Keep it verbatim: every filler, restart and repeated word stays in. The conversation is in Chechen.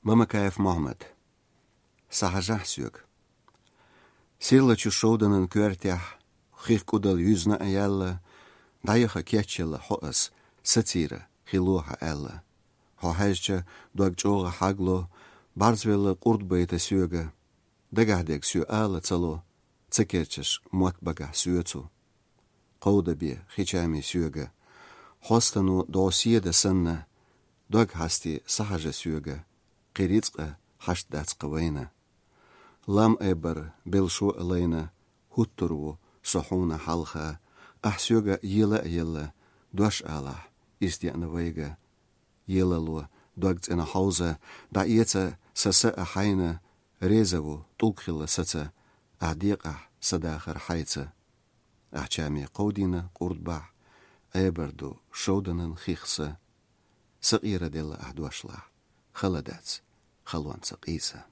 Мамакаев Мохьмад. Сахьажахь соьга. Сирлачу шовданан коьртехь хих кӀудал юьзна а яьлла, дӀаяха кечъелла хьо ас, сацийра хи лохьа аьлла. Хьо хьаьжча, дог чӀогӀа хьагло, бӀарзвелла къурд байта соьга. Дагахь дег соь ала ца ло, ца керчаш мотт багахь соьцу. Кховда бе хи чами соьга. Хьостано дӀо седа санна, дог хьасти сахьажа соьга, кхи рицкъа хьашт дац кха вайна. Лам айбар белшо а лайна, хӀуттур ву со хьуна хьалха, ахь соьга ела а елла, дош алахь, ис деана вайга. Елало дог цӀена хьовза, дӀаэца са са а хьайна, реза ву тӀулг хилла саца, ахь декъахь са дахар хьайца. Ахь чами кховдийна къурд бахь, айбар ду шовданан хих са. Сакъера делла ахь дошлахь, хала дац халонца къийса.